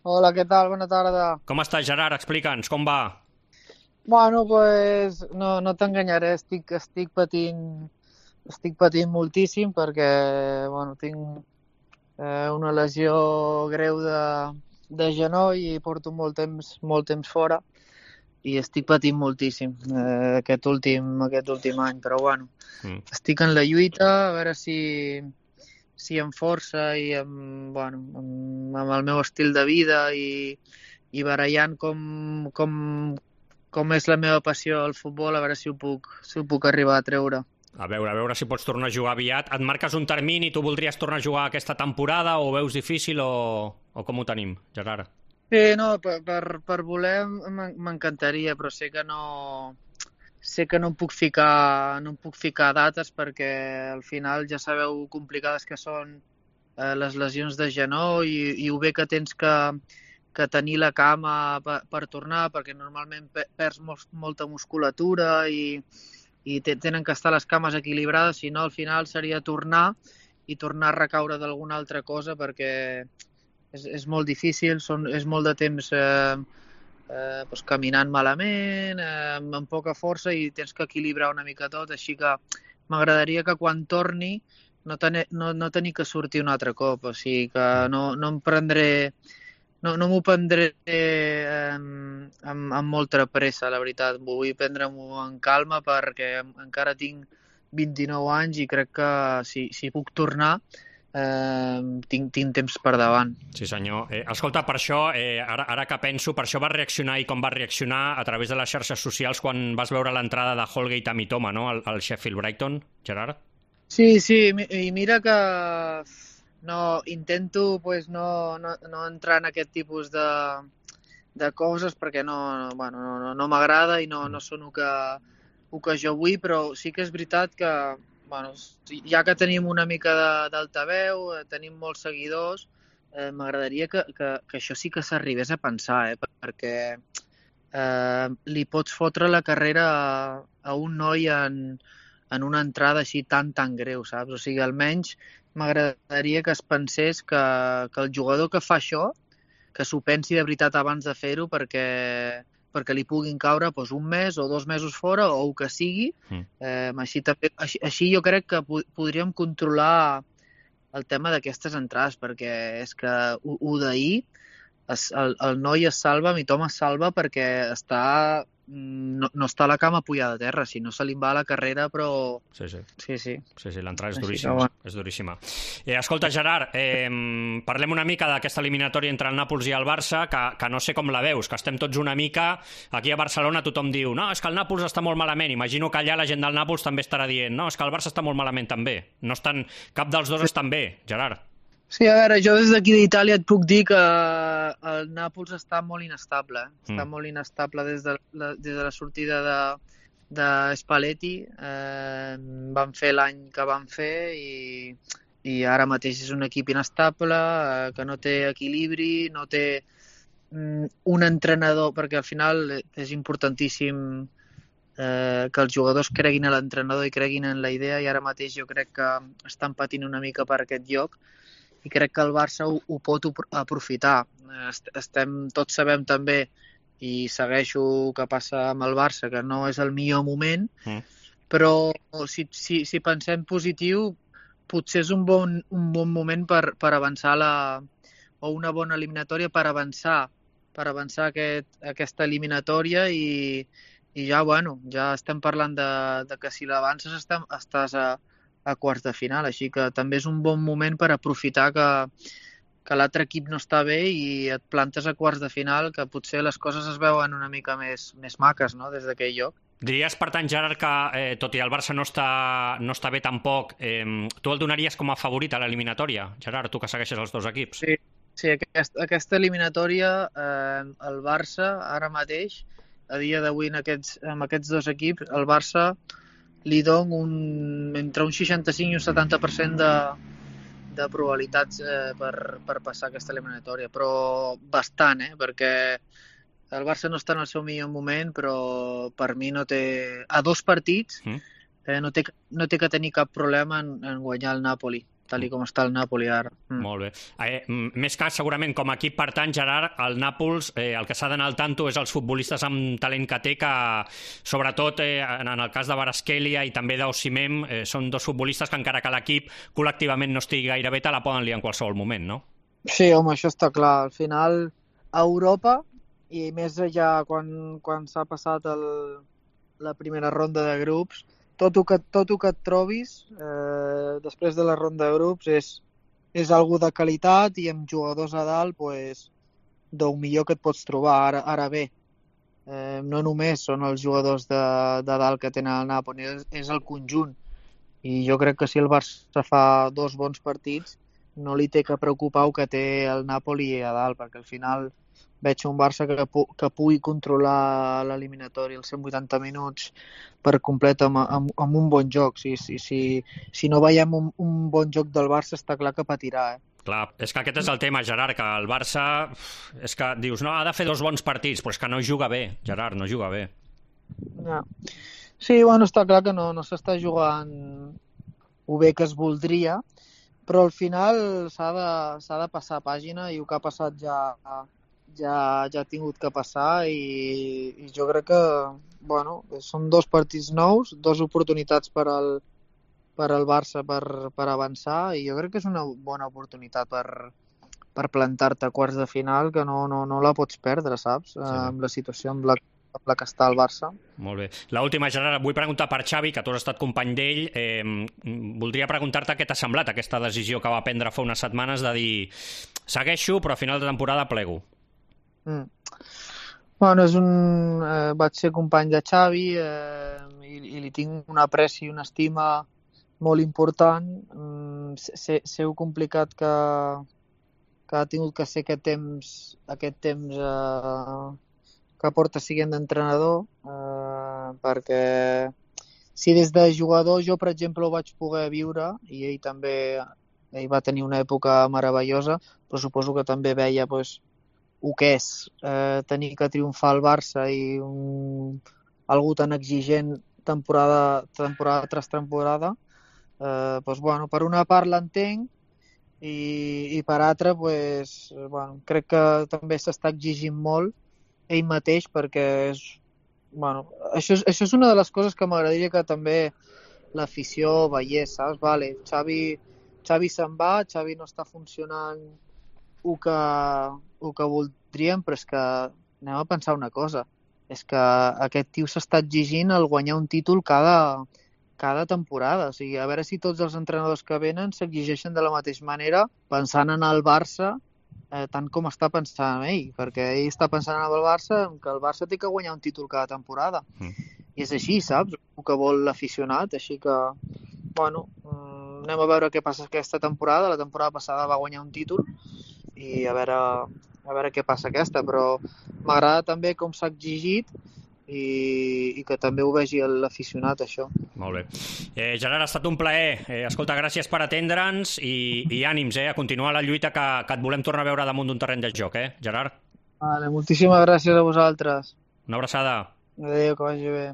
Hola, què tal? Bona tarda. Com estàs, Gerard? Explica'ns, com va? Bueno, pues no t'enganyaré, estic patint moltíssim perquè, bueno, tinc una lesió greu de genoll i porto molt temps fora i estic patint moltíssim aquest últim any, però bueno, Mm. estic en la lluita a veure si amb força i amb el meu estil de vida i barallant com és la meva passió al futbol, a veure si ho puc arribar a treure. A veure si pots tornar a jugar aviat. Et marques un termini, tu voldries tornar a jugar aquesta temporada o ho veus difícil o com ho tenim, Gerard? Sí, no, per voler m'encantaria, però sé que no em puc ficar, no em puc ficar dates perquè al final ja sabeu complicades que són les lesions de genoll i ho bé que tens que tenir la cama per tornar, perquè normalment perds molta musculatura i tenen que estar les cames equilibrades, si no al final seria tornar i tornar a recaure d'alguna altra cosa perquè és molt difícil, és molt de temps doncs caminant malament, amb poca força i tens que equilibrar una mica tot, així que m'agradaria que quan torni no tenir que sortir un altre cop, o sigui que Mm. no em prendré, no m'ho prendré amb molta pressa, la veritat. Vull prendre-m'ho en calma perquè encara tinc 29 anys i crec que si puc tornar tinc temps per davant. Sí, senyor. Escolta, per això, ara que penso, per això vas reaccionar i com vas reaccionar a través de les xarxes socials quan vas veure l'entrada de Holgate a Mitoma, no?, al Sheffield Brighton, Gerard? Sí, sí, i mira que intento pues, no entrar en aquest tipus de coses perquè no m'agrada i no són el que jo vull, però sí que és veritat que bueno, ja que tenim una mica d'altaveu, tenim molts seguidors, m'agradaria que això sí que s'arribés a pensar, perquè li pots fotre la carrera a un noi en una entrada així tan greu, saps? O sigui, almenys m'agradaria que es pensés que el jugador que fa això, que s'ho pensi de veritat abans de fer-ho perquè li puguin caure doncs, un mes o 2 mesos fora o el que sigui. Així jo crec que podríem controlar el tema d'aquestes entrades, perquè és que ho d'ahir el noi es salva, Mitoma es salva perquè no està a la cama pujada a terra, si no se li en va a la carrera, però Sí, sí. sí, sí. Sí, l'entrada és Així que, duríssima. bueno. És duríssima. Escolta, Gerard, parlem una mica d'aquesta eliminatòria entre el Nàpols i el Barça, que no sé com la veus, que estem tots una mica... Aquí a Barcelona tothom diu no, és que el Nàpols està molt malament. Imagino que allà la gent del Nàpols també estarà dient no, és que el Barça està molt malament també. No estan... Cap dels dos estan bé, Gerard. Sí, a veure, jo des d'aquí d'Itàlia et puc dir que el Nàpols està molt inestable. Està molt inestable des de la sortida de Spalletti. Van fer l'any que van fer i ara mateix és un equip inestable, que no té equilibri, no té un entrenador, perquè al final és importantíssim que els jugadors creguin en l'entrenador i creguin en la idea, i ara mateix jo crec que estan patint una mica per aquest lloc i crec que el Barça ho pot aprofitar. Tots sabem també, i segueixo el que passa amb el Barça, que no és el millor moment, però si pensem positiu, potser és un bon moment per avançar o una bona eliminatòria per avançar aquesta eliminatòria i ja, ja estem parlant de que si l'avances estàs a quarts de final, així que també és un bon moment per aprofitar que l'altre equip no està bé i et plantes a quarts de final, que potser les coses es veuen una mica més maques, no?, des d'aquell lloc. Diries, per tant, Gerard, que tot i el Barça no està bé tampoc, tu el donaries com a favorit a l'eliminatòria, Gerard, tu que segueixes els dos equips? Sí, aquesta eliminatòria, el Barça, ara mateix, a dia d'avui amb aquests dos equips, el Barça li dono entre un 65 i un 70% de probabilitats per passar aquesta eliminatòria, però bastant, perquè el Barça no està en el seu millor moment, però per mi no té... A 2 partits no té que tenir cap problema en guanyar el Napoli, tal com està el Napoli ara. Molt bé. Més que segurament com a equip, per tant, Gerard, el Nàpols, el que s'ha d'anar al tanto és els futbolistes amb talent que té, que sobretot en el cas de Kvaratskhelia i també d'Osimhen, són dos futbolistes que encara que l'equip col·lectivament no estigui gaire bé, te la poden liar en qualsevol moment, no? Sí, home, això està clar. Al final, a Europa, i més ja quan s'ha passat la primera ronda de grups, tot el que et trobis després de la ronda de grups és algo de qualitat, i amb jugadors a dalt, pues, del millor que et pots trobar. Ara bé, no només són els jugadors de dalt que tenen el Napoli, és el conjunt. I jo crec que si el Barça fa 2 bons partits, no li té que preocupar el que té el Napoli a dalt, perquè al final veig un Barça que pugui controlar l'eliminatori els 180 minuts per complet amb un bon joc. Si no veiem un bon joc del Barça, està clar que patirà. Clar, és que aquest és el tema, Gerard, que el Barça, és que dius, no, ha de fer 2 bons partits, però és que no juga bé, Gerard, no juga bé. No. Sí, bueno, està clar que no s'està jugant ho bé que es voldria, però al final s'ha de passar pàgina, i el que ha passat ja ha tingut que passar, i jo crec que són 2 partits nous, 2 oportunitats per al Barça per avançar, i jo crec que és una bona oportunitat per plantar-te a quarts de final, que no la pots perdre, saps? Sí. Amb la situació amb la que està el Barça. Molt bé. L'última, Gerard, vull preguntar per Xavi, que tu has estat company d'ell. Voldria preguntar-te què t'ha semblat aquesta decisió que va prendre fa unes setmanes de dir segueixo, però a final de temporada plego. Bueno, vaig ser company de Xavi, i li tinc un apreci i una estima molt important. Sé el complicat que ha tingut que ser aquest temps que porta siguent d'entrenador, perquè si des de jugador jo, per exemple, ho vaig poder viure, i ell va tenir una època meravellosa, però suposo que també veia el que és tenir que triomfar al Barça i algú tan exigent temporada tras temporada. Per una part l'entenc, i per altra crec que també s'està exigint molt ell mateix, perquè això és una de les coses que m'agradaria que també l'afició veiés, saps? Vale, Xavi se'n va, Xavi no està funcionant el que voldríem, però és que anem a pensar una cosa, és que aquest tio s'està exigint el guanyar un títol cada temporada. O sigui, a veure si tots els entrenadors que venen s'exigeixen de la mateixa manera, pensant en el Barça tant com està pensant ell, perquè ell està pensant en el Barça, que el Barça té que guanyar un títol cada temporada. I és així, saps? El que vol l'aficionat. Així que, anem a veure què passa aquesta temporada. La temporada passada va guanyar un títol, i a veure què passa aquesta, però m'agrada també com s'ha exigit, i que també ho vegi l'aficionat, això. Molt bé. Gerard, ha estat un plaer. Escolta, gràcies per atendre'ns, i ànims, a continuar la lluita, que et volem tornar a veure damunt d'un terreny de joc, Gerard? Vale, moltíssimes gràcies a vosaltres. Una abraçada. Adéu, que vagi bé.